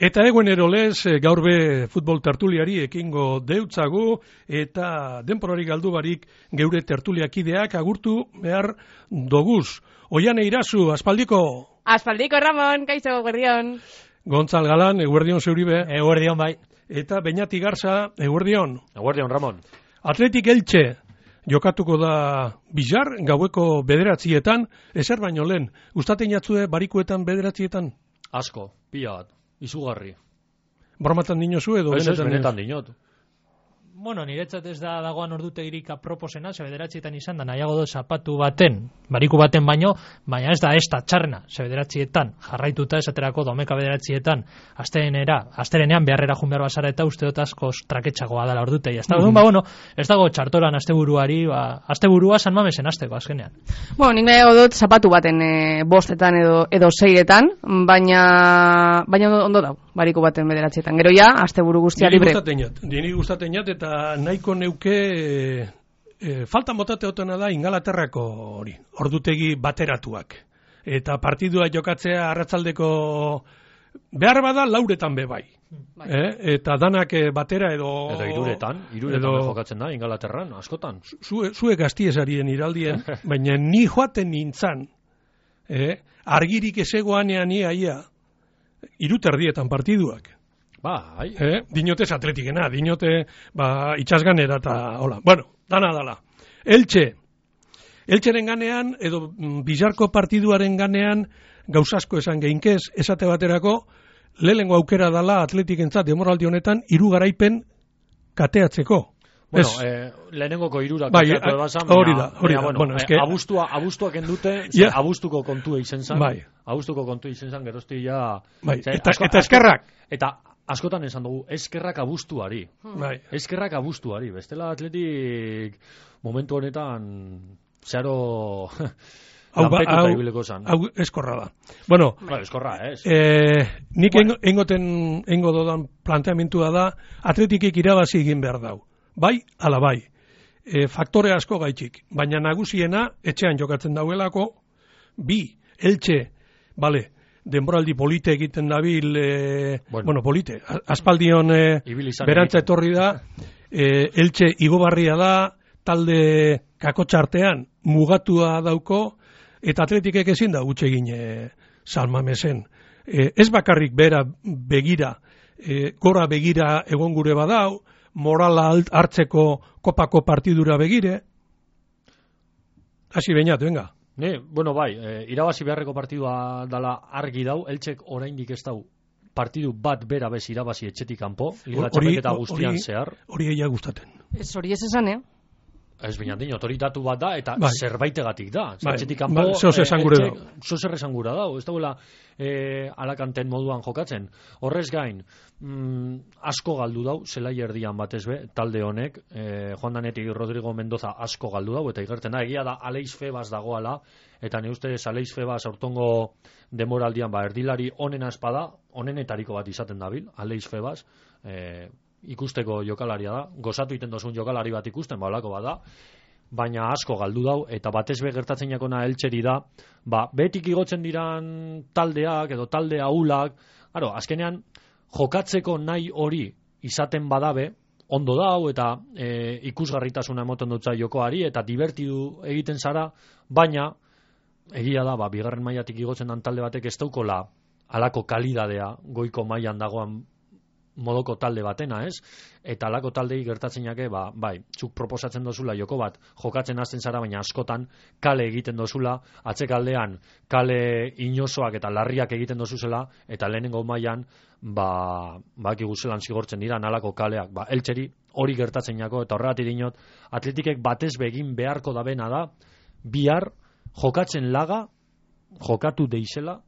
Eta eguenero lez, gaur be futbol tertuliari ekingo deutzagu, eta denporari galdu barik geure tertuliakideak agurtu behar doguz. Oiane Irazu, aspaldiko? Aspaldiko, Ramon, kaixo, eguerdion. Gontzal Galan, eguerdion zeuribe. Eguerdion, bai. Eta Beñati Garza, eguerdion. Eguerdion, Ramon. Atletik Elche, jokatuko da Bizar, gaueko 9:00, ezer baino lehen. Gustaten jatzue barikuetan 9:00? Asko, pila bat, izugarri. Bromatan dinozu edo? Ez, benetan dinot. Bueno, niretzat ez da dagoan ordutegirik aproposena, 9:00 izan da, nahiago dut zapatu baten, bariku baten baino, baina ez da txarrena, 9:00 jarraituta esaterako domeka 9:00, asterenean beharrera jun behar basara eta uste dut asko traketxagoa dela ordutegi. Ez dago txartoran asteburuari, asteburua San Mamesen asteko azkenean. Bueno, nik nahiago dut zapatu baten 5etan edo 6etan, baina ondo dago, bariku baten 9:00. Gero ja, asteburu guztia libre. Dini gustaten jat, eta nahiko neuke falta motate otena da Ingalaterrako hori, ordutegi bateratuak. Eta partidua jokatzea arratsaldeko behar bada 4etan be bai. Eta danak batera edo... Edo iruretan jokatzen da Ingalaterran, askotan. Zuek gaztiesarien iraldien, baina ni joaten nintzan, argirik ezegoanean iaia, 3:30 partiduak. Bai. Dinotez atletikena, dinote itxasganera eta hola. Bueno, dana. Eltxeren ganean, edo Bizarko partiduaren ganean, gauzasko esan geinkez, esate baterako, lehengo aukera dala atletikentzat demoraldi honetan, 3 garaipen kateatzeko. Bueno, lehenengoko 3 kateatu ebasan, hori da. Bueno, abuztuak endute, abuztuko kontua izen zan. Bai. Abuztuko kontua izen zan, gerozti ja... Bai, eta eskerrak. Eta askotan esan dugu, eskerrak abuztuari. Bai. Eskerrak abuztuari. Bestela atletik momentu honetan zeharo lanpetuta ibileko zan. Hau eskorra da. Bueno, eskorra, ez. Nik engo dodan planteamentua da, atletikik irabazi egin behar dau. Bai, ala bai. Faktore asko gaitxik. Baina nagusiena, etxean jokatzen dauelako, Elche, bale, denboraldi polite egiten dabil, polite, aspaldion berantza etorri da, Elche igobarria da, talde kakotxartean mugatua dauko, eta atletikek ezin da gutxe egin San Mamesen. Ez bakarrik bera begira, gora begira egon gure badau, morala hartzeko kopako partidura begire. Hasi Beñat, venga. Irabazi beharreko partidua dala argi dau, Eltxek oraindik ez dau partidu bat bera bez irabazi etxetik kanpo, liga txapelketa guztian zehar. Hori egia gustaten. Hori ez esan, Ez baina otoritatu bat da, eta zerbaitegatik da. Etxetik kanpo, zozer esan gura dau. Ez dauela alakanten moduan jokatzen. Horrez gain, asko galdu dau, zelai erdian batez be, talde honek, Juan Danetik Rodrigo Mendoza asko galdu dau, eta igertzen da, egia da Aleix Febas dagoala, eta ne ustez Aleix Febas aurtongo demoraldian, erdilari onena espada, onenetariko bat izaten dabil, Aleix Febas, ikusteko jokalaria da, gozatu iten dozun jokalari bat ikusten, holako bada, baina asko galdu dau, eta batez be gertatzen jakona Eltxeri da, betik igotzen diran taldeak, edo talde ahulak, azkenean, jokatzeko nahi hori izaten badabe, ondo dau, eta ikusgarritasuna emoten dutza jokoari, eta divertidu egiten zara, baina, egia da, bigarren mailatik igotzen dan talde batek ez daukola alako kalidadea goiko mailan dagoan modoko talde batena, ez? Eta alako taldei gertatzen jake, zuk proposatzen dozula joko bat, jokatzen hasten zara, baina askotan kale egiten dozula, atzekaldean kale inosoak eta larriak egiten dozuzela, eta lehenengo mailan, bakigu zelan zigortzen dira, alako kaleak, Eltxeri hori gertatzen jako, eta horregatik dinot, atletikek batez begin beharko da bena da, bihar jokatzen laga, jokatu deizela,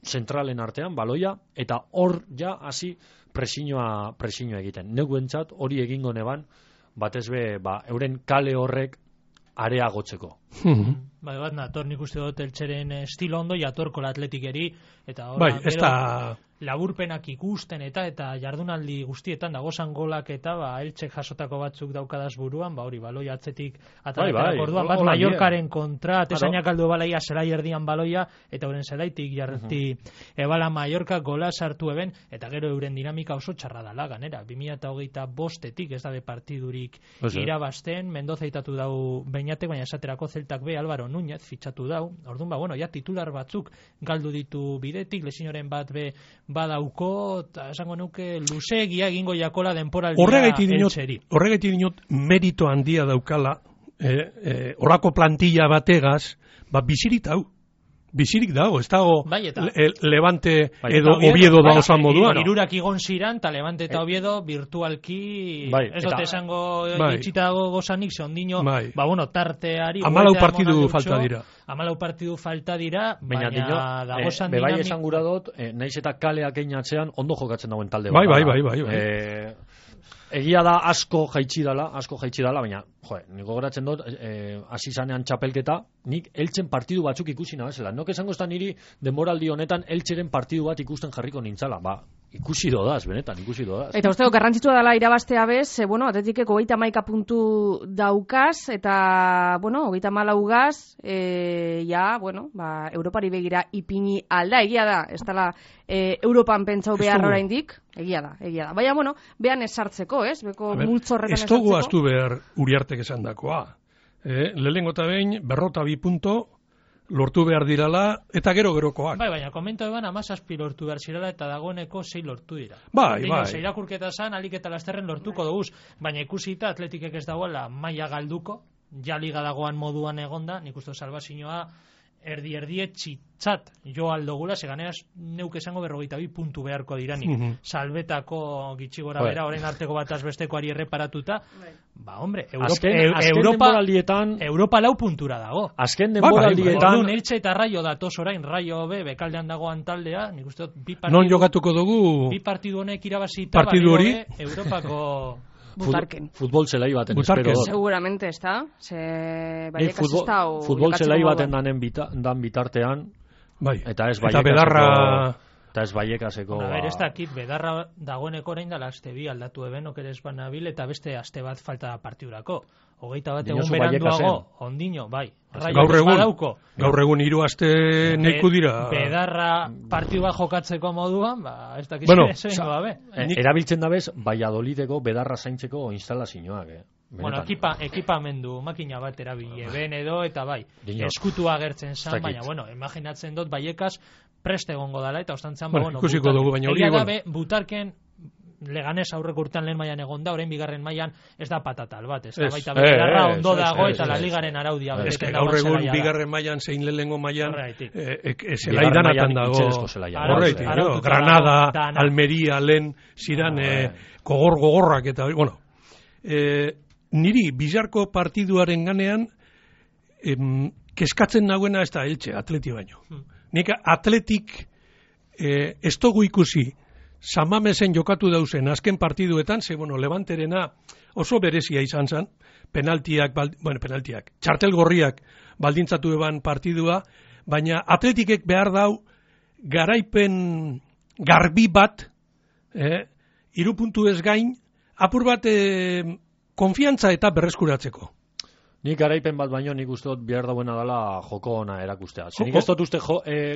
zentralen artean, baloia, eta hor ja hasi presioa egiten. Neuentzat hori egingo neban, batez be, euren kale horrek areagotzeko. Bat nator nik uste dut Eltxeren estilo ondo, jatorko la atletikeri, eta ez da... laburpenak ikusten eta jardunaldi guztietan dagozan golak eta Eltsek jasotako batzuk daukadaz buruan, hori baloi atzetik ataletak orduan, bat Mallorcaren kontra, atesainak aldu balaia zelai erdian baloia, eta euren zelaitik jarreti ebala Mallorca gola sartu eben, eta gero euren dinamika oso txarra dala ganera, 2025etik ez dabe partidurik irabazten, Mendoza itatu dau Beñatek, baina esaterako Zeltak be Álvaro Núñez fitxatu dau, orduan, ja titular batzuk galdu ditu bidetik, lesinoren bat be badauko, eta esango nuke luzeegia egingo jakola denporaldia Eltseri. Horregaitik dinot merito handia daukala, horako plantilla bategaz, bizirik dago, ez dago Levante edo Oviedo da osan moduan. Hirurak igon ziran, eta Levante eta Oviedo virtualki, ez dut esango itxita gozanik, ze ondino, tarteari... 14 partidu falta dira. 14 partidu falta dira, baina dagozan dinamik... Bebai esan gura dut, naiz eta kaleak einatzean ondo jokatzen dagoen talde. Bai. Egia da asko jaitsi dala, baina, niko goratzen dut, hasi zanean txapelketa, nik Eltsen partidu batzuk ikusi nabezela. Nok esango ez da niri denboraldi honetan Eltseren partidu bat ikusten jarriko nintzala, ikusi dodaz, benetan, ikusi dodaz. Eta usteko garrantzitsua dela irabaztea bez, Atletikeko 31 puntu daukaz, eta, 34 gaz, Europari begira ipini alda, egia da, ez dela Europan pentsau behar oraindik, egia da. Baina, behan esartzeko, ez? Beko multzorretan esartzeko. Ez dugu astu behar Uriartek esan dakoa. Lehenengo eta behin, 42 punto, lortu behar dirala, eta gerokoak. Baina, komento eban 17 lortu behar zirala, eta dagoeneko 6 lortu dira. Bai. Irakurketa zan, alik eta lasterren lortuko duguz, baina ikusita Atletikek ez dagoela maila galduko, ja liga dagoan moduan egonda, nik uste salbazioa erdi txitzat jo aldogula, seganeaz neuk esango 42 puntu beharko diranik. Salbetako gitxi gora bera, orain arteko bataz bestekoari erreparatuta, Europa 4 puntura dago. Azken denboraldietan... Eltsa eta Raio datoz orain, Raio bekaldean dagoan taldea, nik uste bi partidu... Non jokatuko dugu... Bi partidu honek irabazita, partidu hori... Europako... Butarken. Futbol zelai baten, espero dut. Seguramente, ez da? Futbol zelai baten dan bitartean, eta ez Baiekaseko... Ez dakit, Bedarra dagoeneko orain da laste bi aldatu eben, okeres banabil, eta beste aste bat falta partidurako. 21 egun beranduago, ondino, bai. Gaur egun 3 aste neiku dira. Bedarra partidua jokatzeko moduan, ez dakit erabiltzen dabez, Valladolideko Bedarra zaintzeko instalazioak, ekipamendu, makina bat erabile, ben edo, eta eskutua agertzen zan, baina, imaginatzen dut, Baiekas preste egongo dala, eta ostantzan, ikusiko dugu, baina hori, Butarken Leganez aurreko urtean lehen mailan egon da, orain bigarren mailan ez da patatal bat, ez da baita Bedarra ondo dago eta la ligaren araudia beteken dago. Gaur egun bigarren mailan zein lehenengo mailan zelai danatan dago. Granada, Almeria, lehen ziran gogorrak eta niri bizarko partiduaren ganean keskatzen nagoena ez da Eltse, Atleti baino. Nik Atletik ez dugu ikusi Samamesen jokatu dauzen azken partiduetan, Levanterena oso berezia izan zen, penaltiak, txartel gorriak baldintzatu eban partidua, baina Atletikek behar dau garaipen garbi bat, 3 puntu ez gain, apur bat konfiantza eta berreskuratzeko. Nik garaipen bat baino nik uste dut behar dauena dela joko ona erakustea. Nik ez dut uste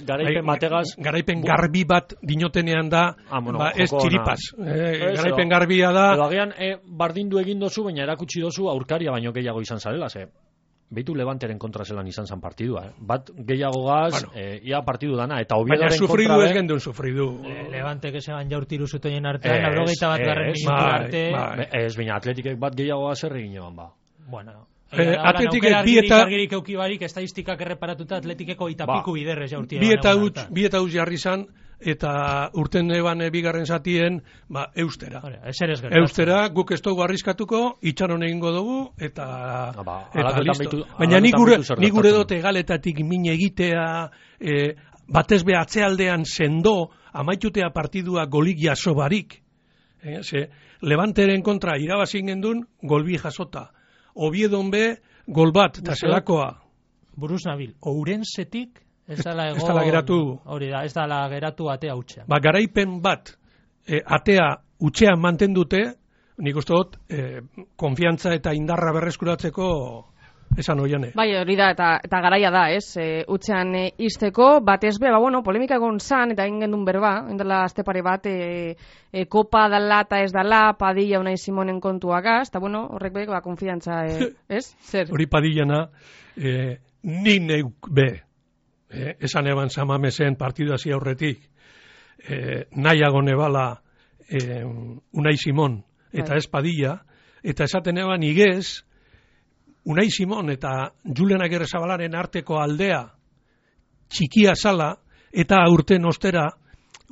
garaipen bategaz... Garaipen garbi bat dinotenean da, ez txiripaz. Garaipen garbia da... Edo agian bardindu egin dozu, baina erakutsi dozu aurkaria baino gehiago izan zarela, behitu Levanteren kontra zelan izan zan partidua. Bat gehiago gaz, ia partidu dana, eta Oviedoren kontra... Baina sufridu ez gendun sufridu. Levantek esan jaurtiru zutoien artean, 91 garren minutu arte... Ez, baina Atletikek bat gehiago gaz erregin eban ba. Bueno... Atletikek estadistikak erreparatuta Atletikeko itapiku biderrez jaurtia. Bi eta huts jarri zan, eta urten eban bigarren zatien, eustera. Eustera, guk ez dugu arriskatuko, itxaron egingo dugu, eta listo. Baina nik gure dote galetatik min egitea, batez be atzealdean sendo, amaitutea partidua golik jaso barik. Levanteren kontra irabazin gendun, golbi jasota. Oviedon be, gol bat, eta zelakoa. Buruz nabil, Ourensetik Ez dala ez dala geratu. Hori da, ez dala geratu atea utxean. Ba, garaipen bat atea utxean mantendute, nik uste dut, konfiantza eta indarra berreskuratzeko esan oiane. Bai, hori da, eta garaia da, ez? Utxean izteko, batez be, bueno, polemika egon zan, eta egin gendun berba, indela azte pare bat, kopa dala eta ez dala, Padilla Unai Simonen kontuagaz, eta bueno, horrek be, konfiantza, ez? Zer? Hori Padillana, ni neuk be, esan eban Samamesen partidu hasi aurretik, nahiago nebala Unai Simon, eta ez Padilla, eta esaten eban igez, Unai Simon eta Julen Agirrezabalaren arteko aldea txikia zala, eta aurten ostera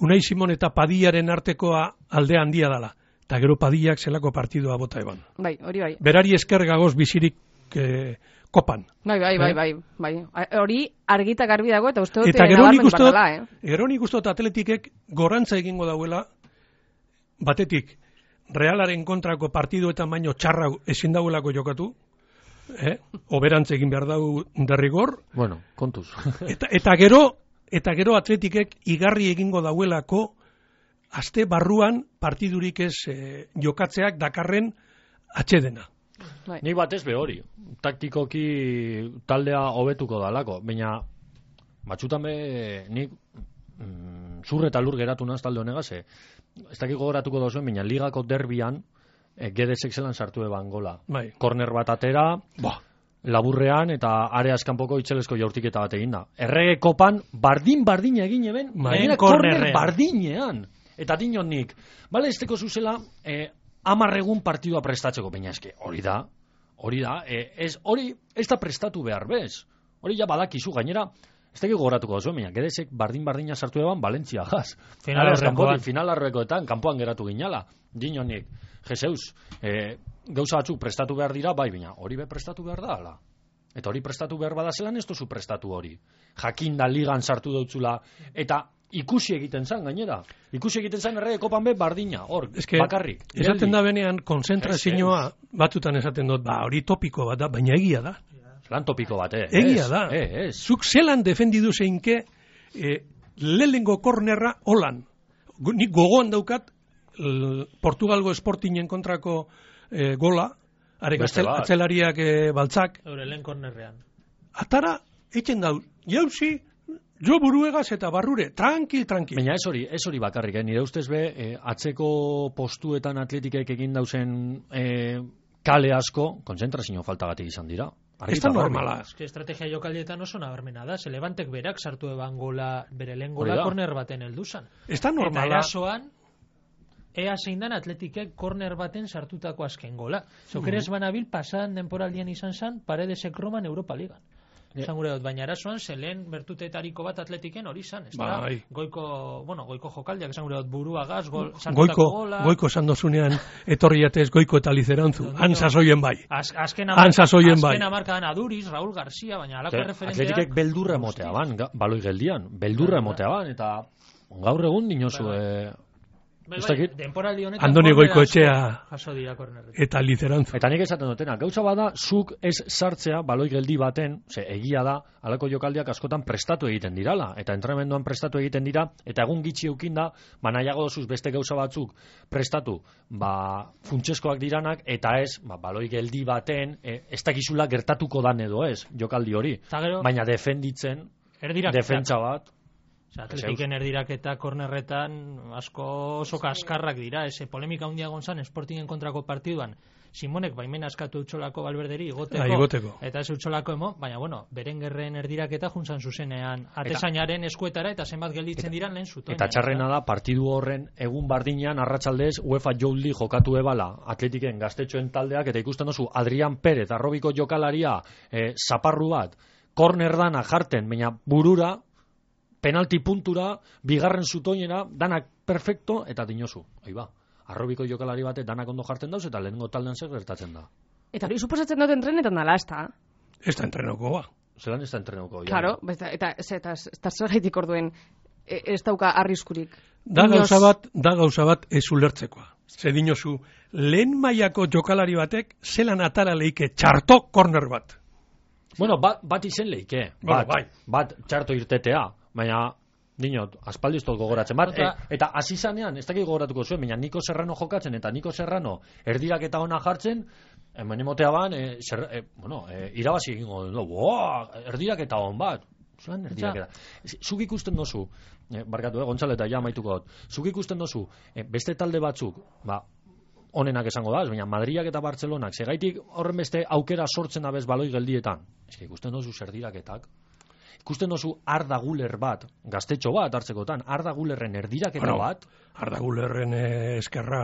Unai Simon eta Padillaren artekoa aldea handia dala. Eta gero Padillak zelako partidua bota eban. Bai, hori bai. Berari esker gagoz bizirik kopan. Bai. Hori argita garbi dago, eta uste dut eta gero nik uste dut, Gero nik uste dut Atletikek gorantza egingo dauela, batetik, Realaren kontrako partiduetan baino txarra ezin dauelako jokatu, oberantz egin behar dau derrigor. Bueno, kontuz. eta gero Atletikek igarri egingo dauelako aste barruan partidurik ez jokatzeak dakarren atxedena. Nik batez be hori, taktikoki taldea hobetuko dalako, baina batzutan be nik zur eta lur geratu naz talde honegaz, ez dakiko goratuko dozuen, baina ligako derbian Gedesek zelan sartu eban gola. Bai. Korner bat atera, laburrean eta areaz kanpoko itxelesko jaurtiketa bat egin da. Errege kopan bardin egin eben, korner bardinean. Eta dinon nik, bale, ez teko zuzela 10 egun partidua prestatzeko, baina eske, hori da, hori ez da prestatu behar bez. Hori ja badakizu, gainera, ez teki goratuko zuen, baina Gedesek bardina sartu eban Valentzia gaz. Finalarroekoetan, kanpoan geratu ginala, dinon nik. Jezeus, gauza batzuk prestatu behar dira, bai, baina hori be prestatu behar da, ala. Eta hori prestatu behar badazelan ez duzu prestatu hori. Jakinda ligan sartu dautzula, eta ikusi egiten zan, gainera. Ikusi egiten zan errege kopan be bardina, hor, bakarrik. Esaten da benean, konzentrazioa batzutan esaten dut, hori topiko bat da, baina egia da. Zelan topiko bat, Egia da. Zuk zelan defendidu zeinke lehengo kornerra holan. Nik gogoan daukat, Portugalgo Sportingen kontrako gola, atzelariak baltzak. Eure lehen kornerrean. Atara, etxen dau, jauzi, jo buruegaz eta barrure, tranquil. Baina ez hori bakarrik, nire ustez be, atzeko postuetan Atletikek egin dauzen kale asko, konzentrazio faltagatik izan dira. Ez da normala. Estrategia jokaldietan oso nabarmena da, ze Levantek berak sartu eban gola, bere lehen gola korner baten helduzan. Ez da normala. Eta erasoan, ea zein dan Atletikek korner baten sartutako azken gola. Zokeres banabil pasan denporaldian izan zan, Paredesek Roman Europa Ligan. Esan gure dut, baina erasoan, zelen bertutetariko bat Atletiken hori zan. Goiko jokaldiak, esan gure dut, buruagaz, sartutako gola. Goiko sandozunean etorri jatez goiko eta lizerantzu. Antzazoien bai. Azken amarkadan Aduriz, Raúl García, baina alako referentea. Atletikek beldurra emotea ban, baloi geldian. Beldurra emotea ban, eta gaur egun dinozu... Andoni Goikoetxea eta Lizerantzu. Eta nik esaten dutena, gauza bada, zuk ez sartzea baloi geldi baten, egia da, alako jokaldiak askotan prestatu egiten dirala, eta entrenamenduan prestatu egiten dira, eta egun gitxi eukin da, nahiago dozuz beste gauza batzuk prestatu, funtseskoak diranak, eta ez, baloi geldi baten, ez dakizula gertatuko dan edo ez, jokaldi hori. Baina defenditzen, defentsa bat, Atletiken erdiraketa kornerretan asko oso kaskarrak dira, polemika handia gonzan Sportingen kontrako partiduan Simonek baimen askatu eutxolako Valverderi igoteko, eta ez eutxolako baina Berengerren erdiraketa juntzan zuzenean atezainaren eskuetara eta zenbat gelditzen diran lehen zutoin. Eta txarrena da, partidu horren egun bardinean arratsaldez UEFA Youth League jokatu ebala Atletiken gaztetxoen taldeak, eta ikusten dozu Adrian Pérez, arrobiko jokalaria, zaparru bat, kornerdana jarten, baina burura, penalti puntura, bigarren zutoinera, danak perfecto, eta dinozu. Arrobiko jokalari bate danak ondo jartzen dauz, eta lehenengo taldean zer gertatzen da. Eta hori suposatzen dut entrenetan dala, ez da? Ez da entrenoko, Zelan ez da entrenoko? Claro, eta zer gaitik orduen ez dauka arriskurik. Da gauza bat ez ulertzekoa. Ze dinozu, lehen mailako jokalari batek zelan atara leike txartok korner bat. Bueno, bat izen leike. Bat txarto irtetea, baina dinot, aspaldi iztot gogoratzen bat, eta hasi zanean, ez dakik gogoratuko zuen, baina Niko Serrano jokatzen, eta Niko Serrano erdirak eta ona jartzen, emotea ban, irabazi egingo du, erdirak eta on bat, zuan erdirak eta. Zuk ikusten dozu, barkatu, Gontzalo eta ja maituko dut, zuk ikusten dozu, beste talde batzuk, onenak esango da, baina Madriak eta Bartzelonak, segaitik horren beste aukera sortzen abez baloi geldietan, ikusten dozu zerdiraketak, ikusten dozu Arda Guler bat, gaztetxo bat hartzekotan, Arda Gulerren erdiraketa bat. Arda Gulerren eskerra...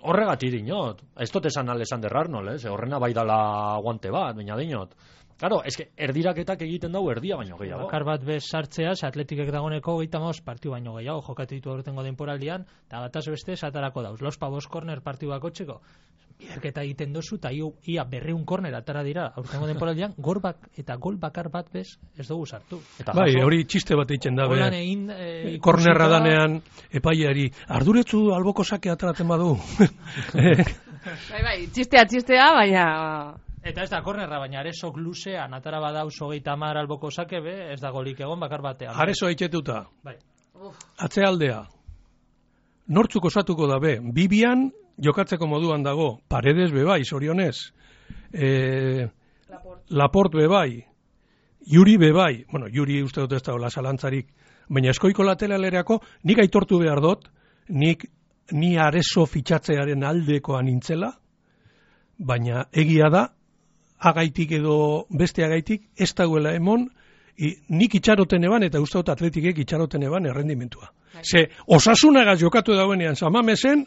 Horregatik dinot. Ez dut esan Alexander Arnold, horrena bai dala guante bat, baina dinot. Claro, erdiraketak egiten dau erdia baino gehiago. Bakar bat bez sartzeaz, Atletikek dagoneko 35 partiu baino gehiago jokatu ditu aurtengo denporaldian, eta bataz beste satarako dauz. Los Pavos corner partiu bakotxeko. Biderketa egiten dozu, eta ia 200 korner atara dira aurtengo denporaldian, eta gol bakar bat bez ez dugu sartu. Bai, hori txiste bat eitzen dabe. Kornerra danean epaiari, arduretzu alboko sake ataratzen badu. Bai, txistea, baina... Eta ez da kornerra, baina Aresok luzean atara badauz 30 alboko sake, ez da golik egon bakar batean. Areso haitxetuta. Bai. Atzealdea. Nortzuk osatuko dabe. Bibian jokatzeko moduan dago. Paredes bebai, zorionez. Laport bebai. Yuri bebai. Bueno, Yuri uste dut ez da zalantzarik. Baina eskoiko lateralereako nik aitortu behar dut, ni Areso fitxatzearen aldekoa nintzela, baina egia da, agaitik edo beste agaitik, ez dagoela emon, nik itxaroten eban, eta uste dut Atletikek itxaroten eban errendimentua. Ze, osasunagaz jokatu dauenean Samamesen,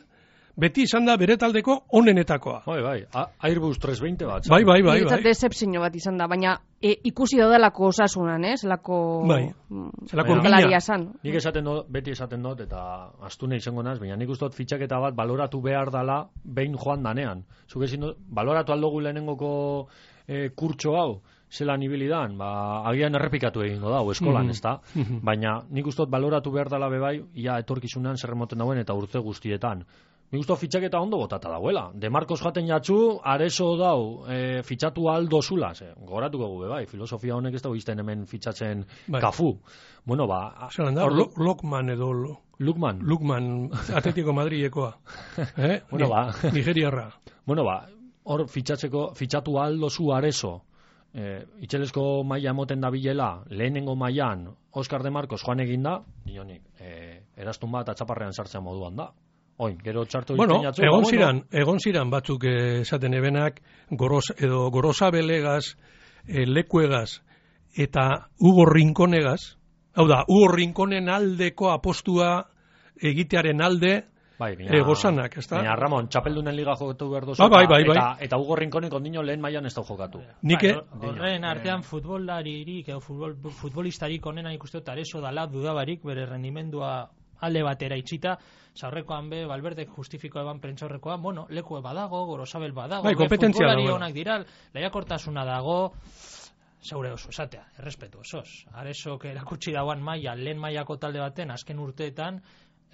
beti izan da bere taldeko onenetakoa. Bai, Airbus 320 bat. Bai. Niretzat decepzio bat izan da, baina ikusi daudelako osasunan, zelako... Bai, zelako galaria zan. Nik beti esaten dut, eta astune izango naz, baina nik uste dut fitxaketa bat baloratu behar dala behin joan danean. Zuk ezin dut, baloratu aldogu lehenengoko kurtso hau, zelan ibilidan, agian errepikatu egingo da, eskolan, ez da? Baina nik uste dut baloratu behar dala bebai, ia etorkizunan zerremoten dauen eta urte guztietan. Nik uste fitxaketa ondo botata dauela. De Marcos jaten jatzu, Areso dau, fitxatu aldo zula. Goratuko gube, bai, filosofia honek ez dago izten hemen fitxatzen kafu. Bueno, zelan da, Lokman edo... Lukman, Atletico Madrilekoa. Bueno, Nigeriarra. Bueno, hor fitxatu aldo zu Areso. Itxelesko maila emoten da bilela, lehenengo mailan Oscar de Marcos joan eginda, nionik, erastun bat atxaparrean sartzen moduan da. Oin, gero txartu jatzu. Egon ziran batzuk esaten ebenak, Gorosabelegaz, Lekuegaz, eta Hugo Rinconegaz, hau da, Hugo Rinconen aldeko apostua egitearen alde, gozanak, ez da? Baina, Ramon, txapeldunen liga jokatu behar dozu, eta Hugo Rinconek ondino lehen mailan ez da jokatu. Horren artean futbolaririk, futbolistarik onena ikusten dut Areso dala dudabarik, bere rendimendua alde batera itxita, zaurrekoan Valverdek justifiko eban prentzaurrekoa, bueno, Lekue badago, Gorosabel badago, futbolari honak dira, lehiakortasuna dago, zaure oso, esatea, errespetu osoz. Aresok erakutsi dauan maila, lehen mailako talde baten, azken urteetan,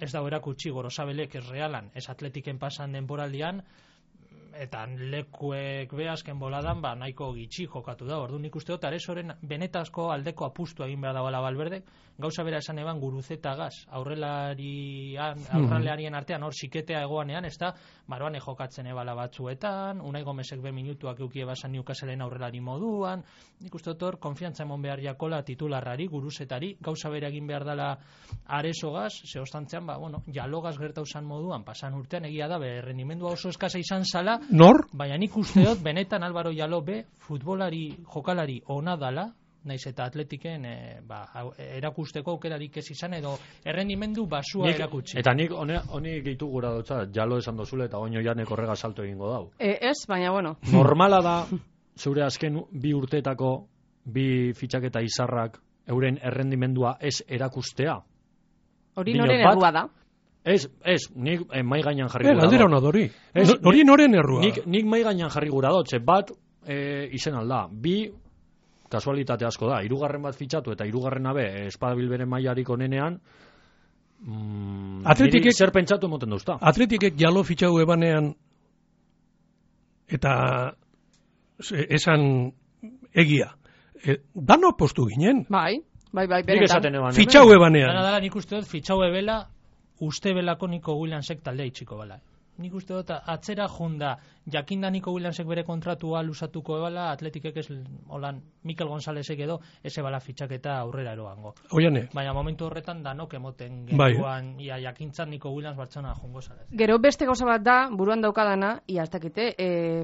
ez dago erakutsi Gorosabelek ez Realan, ez Atletiken pasan denboraldian, eta Lekuek azken boladan nahiko gitxi jokatu da. Orduan ikuste dut Aresoren benetazko aldeko apustu egin behar dagoela Valverdek. Gauza bera esan eban Guruzeta gaz aurralearien artean hor siketea egoanean, ez da Maroane jokatzen ebala batzuetan, Unai Gomezek minutuak eukie basan Newcastleen aurrelari moduan. Ikuste dut hor konfiantza emon behar jakola titularrari, Guruzetari, gauza bera egin behar dela Areso gaz, zehostantzean Jalogaz gertauzan moduan, pasan urtean egia da, rendimendua oso eskasa izan zala. Nor? Baina nik uste dut, benetan Álvaro Jaló futbolari, jokalari ona dala, naiz eta Atletiken erakusteko aukerarik ez izan edo errendimendu basua erakutsi. Eta nik honi gehitu gura dutza, Jaló esan dozule eta oino janek horrega salto egingo dau. Ez, baina bueno. Normala da, zeure azken bi urteetako, bi fitxaketa izarrak, euren errendimendua ez erakustea. Hori noren errua da? Ez, nik mai gainan jarri gura dut. Galdera hona dori. Hori noren errua. Nik mai gainan jarri gura dut, bat izen alda. Bi, kasualitate asko da, hirugarren bat fitxatu eta hirugarren abe espadabil bere mailarik onenean, niri zer pentsatu emoten duzta. Atletikek Jaló fitxatu ebanean eta esan egia. dano postu ginen. Bai, Nik benetan. esaten eban. Fitxau ebanean. Dala nik uste dut, fitxau ebela, uste belako Nico Williamsek taldea itxiko bala. Nik uste dut, atzera junda, jakinda Nico Williamsek bere kontratua lusatuko ebala, Atletikek ez, holan, Mikel Gonzálezek edo, ez ebala fitxaketa aurrera eroango. Oiane. Baina momentu horretan danok emoten Bai. genduan, ia jakintzan Nico Williams Bartxona jungo zara. Gero beste gauza bat da, buruan daukadana, ia ez dakite,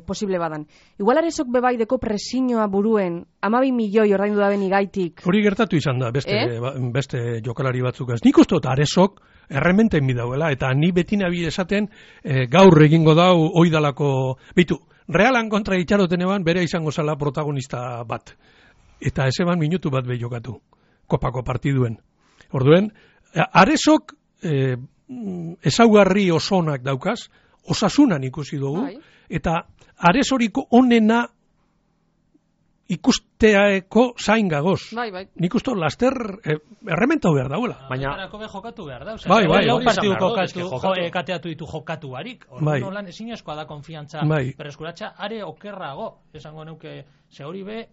posible badan. Igual Aresok bebaideko presiñoa buruen, 12 milioi ordaindu da beni gaitik. Hori gertatu izan da, beste jokalari batzuk ez. Nik uste dut Aresok errementen bidauela, eta ni beti nabi esaten gaur egingo dau oidalako, bitu, Realan kontra itxaroten eban bere izango zala protagonista bat. Eta ez eban minutu bat behi jokatu, kopako partiduen. Orduen, Aresok ezaugarri osonak daukaz, osasunan ikusi dugu, eta Aresoriko onena ikusteako zain gagoz. Bai. Nik uste laster errementau behar dauela. Baina be jokatu behar da. Bai. Lau partidu kateatu ditu jokatu barik. Bai. Orduan ezin eskoa da konfiantza berreskuratza are okerrago. Esango neuke, ze hori be,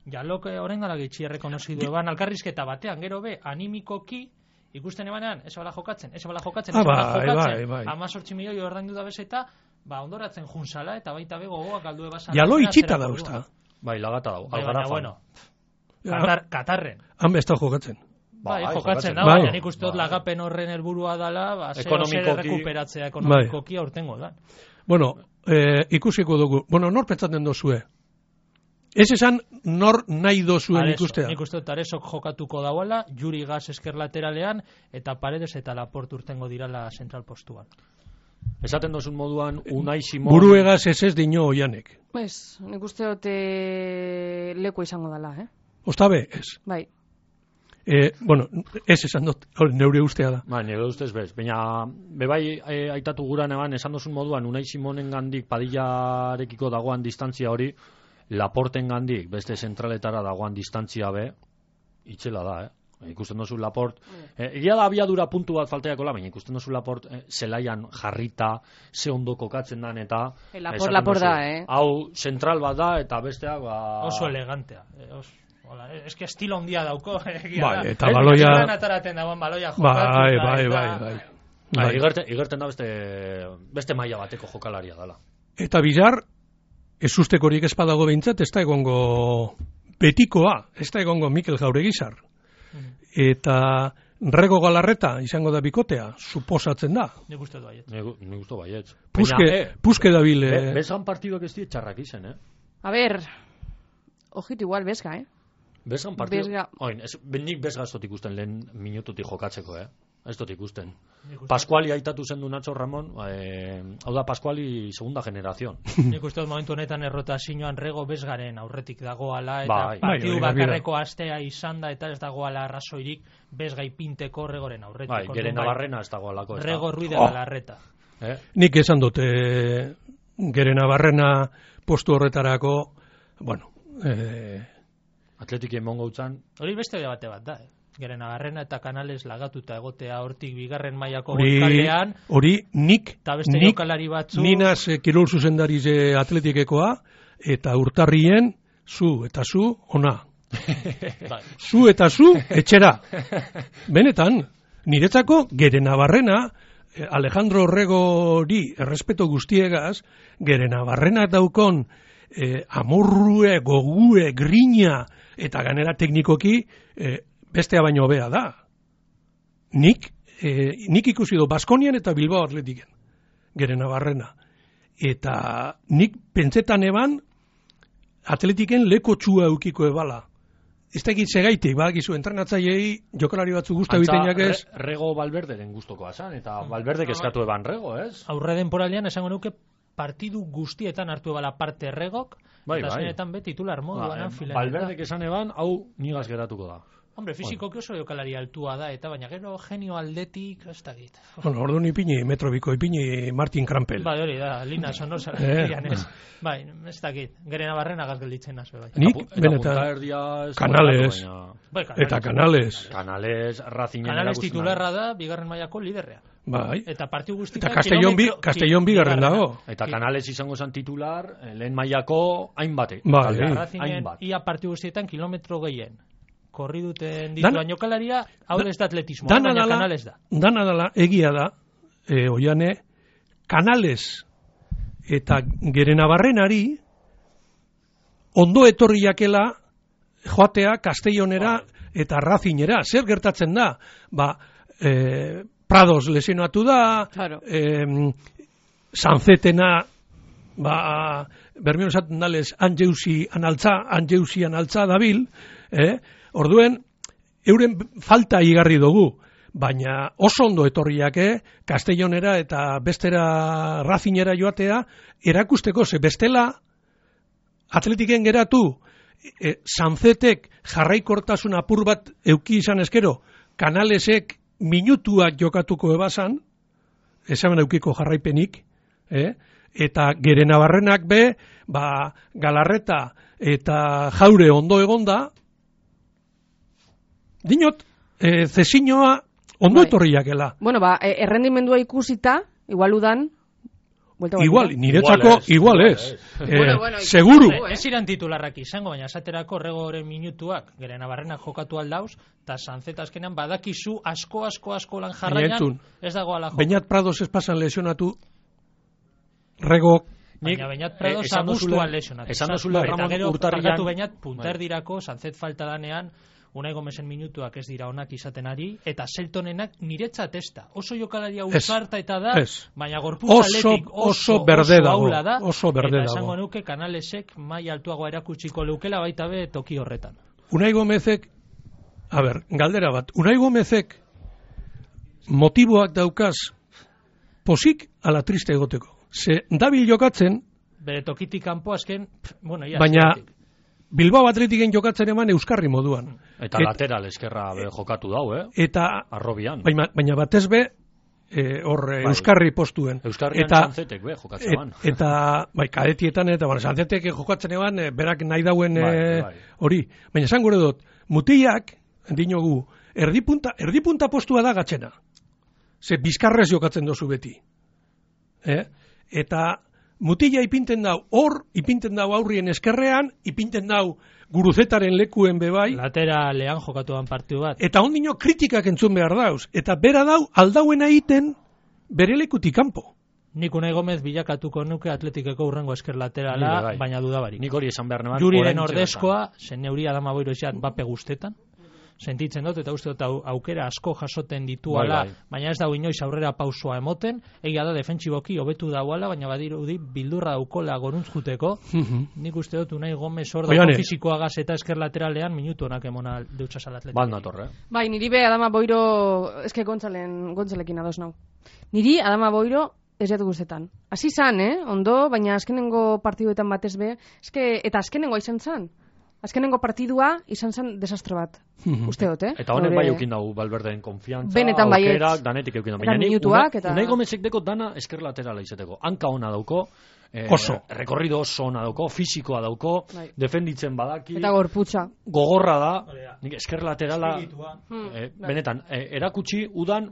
jalok orain gala gitxi errekonozidu eban alkarrizketa batean, gero be, animikoki, ikusten ebanean, ez bala jokatzen. 18 milioi ordaindu da bezeta, ondoratzen junzala, eta baita be gogoak galdu ebazan. Jalo itxita dauzta. Bai, lagata dago. Bueno, Katarren. Han besta jokatzen. Bai, jokatzen da, baina nik uste dut lagapen horren helburua dala, zero rekuperatzea ekonomikoki aurtengo da. Bueno, ikusiko dugu. Bueno, nor pentsatzen dozue? Ez esan nor nahi dozuen ikustea? Nik uste dut Aresok jokatuko dauela, Juri Gaz esker lateralean, eta Paredes eta Laporte urtengo dirala zentral postuan. Esaten dozun moduan, Unai Simon... Buruegaz ez dino oianek. Nik uste dut leku izango dela, Ostabe, ez. Bai. Bueno, ez esan dut, neure ustea da. Ba, nire ustez bez. Baina, bebai aitatu guran eban, esan dozun moduan, Unai Simonen gandik Padillarekiko dagoan distantzia hori, Laporten gandik, beste zentraletara dagoan distantzia be, itxela da, Ikusten dozu Laport, egia da abiadura puntu bat falteakola, baina ikusten dozu Laport zelaian jarrita, ze ondo kokatzen dan, eta... Laport da, Hau, zentral bat da, eta bestea... Oso elegantea. Ez que estilo ondia dauko, egia da. Bai, eta baloia... Ataraten dagoen baloia jokatu. Bai. Igerten da beste maila bateko jokalaria dela. Eta Bizar, ez ustekorik espadago behintzat, ez da egongo betikoa, ez da egongo Mikel Jauregizar. Eta Rego Galarreta izango da bikotea, suposatzen da. Nik uste du baiet. Nik uste baiet. Puske dabil... Bezgan partiduak ez diet txarrak izen, A ber, ojito igual bezga, Bezgan partidu... Nik bezga ez dut ikusten lehen minututik jokatzeko, Ez dut ikusten. Pascuali aitatu zen du Nacho Ramon, hau da Pascuali segunda generación. Nik uste dut momentu honetan errotazioan Rego bezgaren aurretik dagoala, eta partidu bakarreko astea izan da, eta ez dagoala arrazoirik bezgai pinteko Regoren aurretik. Bai, Gere Navarrena ez dagoalako. Rego Ruiz de Galarreta. Nik esan dut, Gere Navarrena postu horretarako, bueno... Atletikien mongo utzan... Hori beste debate bat da, Gere Navarrena eta Canales lagatuta egotea hortik bigarren mailako golkalean. Hori nik Ninaz kirol zuzendariz Atletikekoa, eta urtarrien zu ona. Zu eta zu etxera. Benetan, niretzako Gere Navarrena, Alejandro Orregori errespeto guztiegaz, Gere Navarrena daukon amorrue, gogue, grina, eta ganera teknikoki bestea baino hobea da. Nik ikusi du Baskonian eta Bilbao Atletiken, Gere Navarrena. Eta nik pentsetan eban Atletiken leko txua eukiko ebala. Ez da egitze gaitik, badakizu, entrenatzaileei jokalari batzu guzta bitenak ez. Rego Valverderen gustokoa zan, eta Valverdek eskatu eban Rego, ez? Aurre denporalean esango nuke partidu guztietan hartu ebala parte Regok, eta zenetan be titular moduan filen. Valverdek esan eban, hau nigaz geratuko da. Hombre, fizikoki oso jokalari altua da, eta baina gero genio aldetik, ez da git. Bueno, orduan ipini, metrobiko ipini Martin Krampel. Bai, hori da, Lina Sonosa. Bai, ez da git. Gere Navarrena gazgelditzen nazo. Nik, benetan, Canales, eta Canales. Canales, Racingen Canales titularra da, bigarren mailako liderrea. Bai. Eta partiu guztietan Eta Castellón bigarren dago. Eta Canales izango zen titular, lehen mailako hainbate. Bai. Racingen ia partiu guztietan kilometro gehien. Korri duten dituan jokalaria, hau ez da atletismoa, baina Canales da. Dana dala, egia da, oiane, Canales eta Gerenabarrenari ondo etorri jakela joatea Castellonera eta Racingera. Zer gertatzen da? Prados lesionatu da, Claro. Sanzetena, bermion esaten dalez, Anjeusi analtza dabil, orduen, euren falta igarri dugu, baina oso ondo etorriak, Castellonera eta bestera Racingera joatea, erakusteko, ze bestela, atletiken geratu, Sanzetek jarraikortasun apur bat euki izan eskero, Canalesek minutuak jokatuko ebasan, esamen eukiko jarraipenik, eta Gerenabarrenak be, Galarreta eta Jaure ondo egonda, dinot, Zesinoa ondo etorriakela. Bueno, errendimendua ikusita, igual udan, Igual, niretzako igual ez. Bueno, seguru. Ez iran titularrak izango, baina esaterako Regoren minutuak Gerenabarrenak jokatu aldauz, eta Sanzet azkenean badakizu asko lan jarraian, ez dago ala jokatu. Beñat Prados ez pasan lesionatu, Rego... Baina Beñat Prados agustuan lesionatu. Esan dozule Ramon Urtarrian... Eta gero, Beñat punterdirako, Sanzet falta danean, Unai Gomesen minutuak ez dira onak izaten ari, eta Seltonenak niretzat ez da. Oso jokalaria uzarta eta da, baina gorputz atletik oso berde dago. Eta esango nuke Canalesek mai altuagoa erakutsiko leukela baita be toki horretan. Unai Gomezek, galdera bat, Unai Gomezek motiboak daukaz posik ala triste egoteko. Ze dabil jokatzen... Bere tokitik kanpo azken, baina... Bilbao Atletiken jokatzen eman euskarri moduan. Eta lateral eskerra jokatu dau, Eta arrobian. Baina batez be euskarri postuen. Euskarrian Sanzetek be jokatzen eman. Eta kadetietan eta Sanzetek jokatzen eman berak nahi dauen hori. Baina esan gure dut, mutiak dinogu erdipunta postua da gatzena. Ze bizkarrez jokatzen dozu beti. Eta mutila ipinten dau, ipinten dau aurrien eskerrean, ipinten dau Guruzetaren lekuen bebai. Lateralean jokatuan partiu bat. Eta ondino kritikak entzun behar dauz. Eta bera dau, aldauena egiten bere lekutik kanpo. Nik Unai Gomez bilakatuko nuke Atletikeko urrengo esker laterala, baina dudabarik. Nik hori esan behar neban. Juriren ordezkoa, zen neuri Adama Boiro esan bape guztetan. Sentitzen dut, eta uste dut aukera asko jasoten dituala, baina ez dago inoiz aurrera pausua emoten, egia da defentsiboki hobetu dauala, baina badirudi bildurra daukola goruntz juteko. Nik uste dut Unai Gomez ordeko fisikoagaz eta esker lateralean minutu honak emona deutsasal atletik. Bat natorre. Bai, niri be Adama Boiro, eske Gontzalekin ados nau. Niri Adama Boiro ez jatu guztetan. Hasi zan, ondo, baina azkenengo partiduetan batez be, eta azkenengoa izan zan. Azkenengo partidua izan zen desastre bat. Uste dut, Eta honen bai eukin dago Valverdeen konfiantza, benetan aukerak, danetik eukin dago. Minutuak, eta... Unai Gomezek deko dana esker laterala izateko. Hanka ona dauko, rekorrido oso ona dauko, fisikoa dauko, defenditzen badaki. Eta gorputza. Gogorra da, esker laterala, benetan, erakutsi udan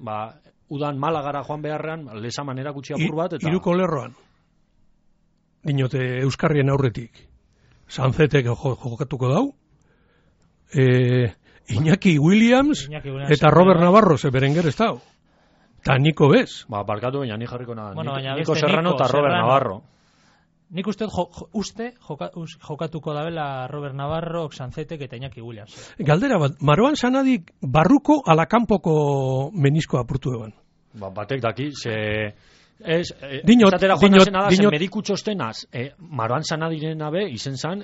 Malagara joan beharrean, lesaman erakutsi apur bat. Hiruko lerroan, dinote Euskarrien aurretik. Sanzetek jokatuko dau, Iñaki Williams eta Robert Navarro Berenguer ez dau. Ta Niko bez. Barkatu baina ni jarriko nada. Niko Serrano eta Robert Navarro. Nik uste jokatuko dabela Robert Navarro, Sanzetek eta Iñaki Williams. Galdera bat, Maroan Sanadik barruko ala kanpoko menisko apurtu eban. Batek daki, Dinot, mediku txostenaz, Maroan Sanadiren abe, izen zan...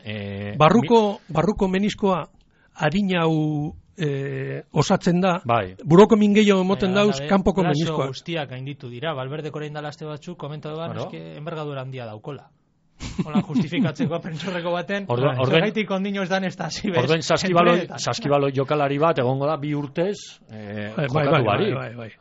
Barruko meniskoa harinau osatzen da, buroko mingeio emoten dauz, kanpoko meniskoa. Guztiak gainditu dira, Valverdeko orain dala aste batzuk, komentatu ban, enbergadura handia daukola. Hola, justifikatzeko prentxorreko baten, zergaitik ondino ez dan ez da hasi bez. Orduen saskibaloi jokalari bat, egongo da, 2 urtez, jokatu bari.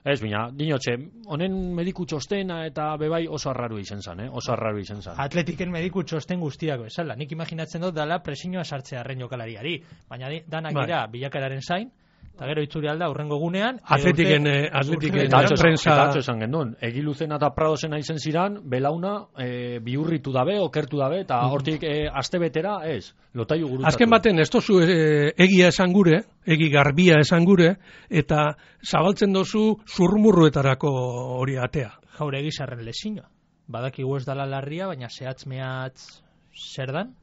Ez, bina, dinotxe, honen mediku txostena eta bebai oso arraru izen zan, oso arraru izen zan. Atletiken mediku txosten guztiak bezala, nik imaginatzen dut dala presioa sartzea arren jokalariari, baina danak dira bilakararen zain, Eta gero itzuri alda urrengo gunean. Atletiken prensa... Eta atzo esan gendun, Egiluzena eta Pradosena izen ziran, belauna bihurritu dabe, okertu dabe, eta hortik aste betera, ez, lotaiu gurutzatu. Azken baten, ez tozu egia esan gure, egi garbia esan gure, eta zabaltzen dozu zurmurruetarako hori atea. Jaure egizarren lesina. Badakigu ez dala larria, baina zehatz-mehatz zer dan?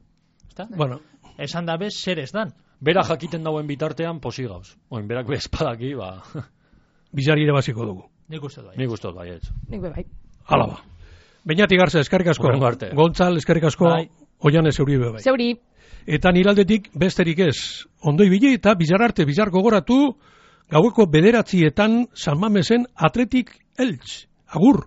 Bueno. Esan dabe zer ez dan. Bera jakiten dauen bitartean posi gauz. Oin, berak bezpadaki, ba... Bizari ere baziko dugu. Nik uste bai. Nik uste bai, ez. Nik bai. Hala ba. Beñati Garza, eskerrik asko. Gontzal, eskerrik asko. Bai. Oian Zeuri bai. Zeuri. Eta niraldetik besterik ez. Ondo ibili eta bizar arte, bizar gogoratu, gaueko 9:00 San Mamesen Atletik Eltz. Agur.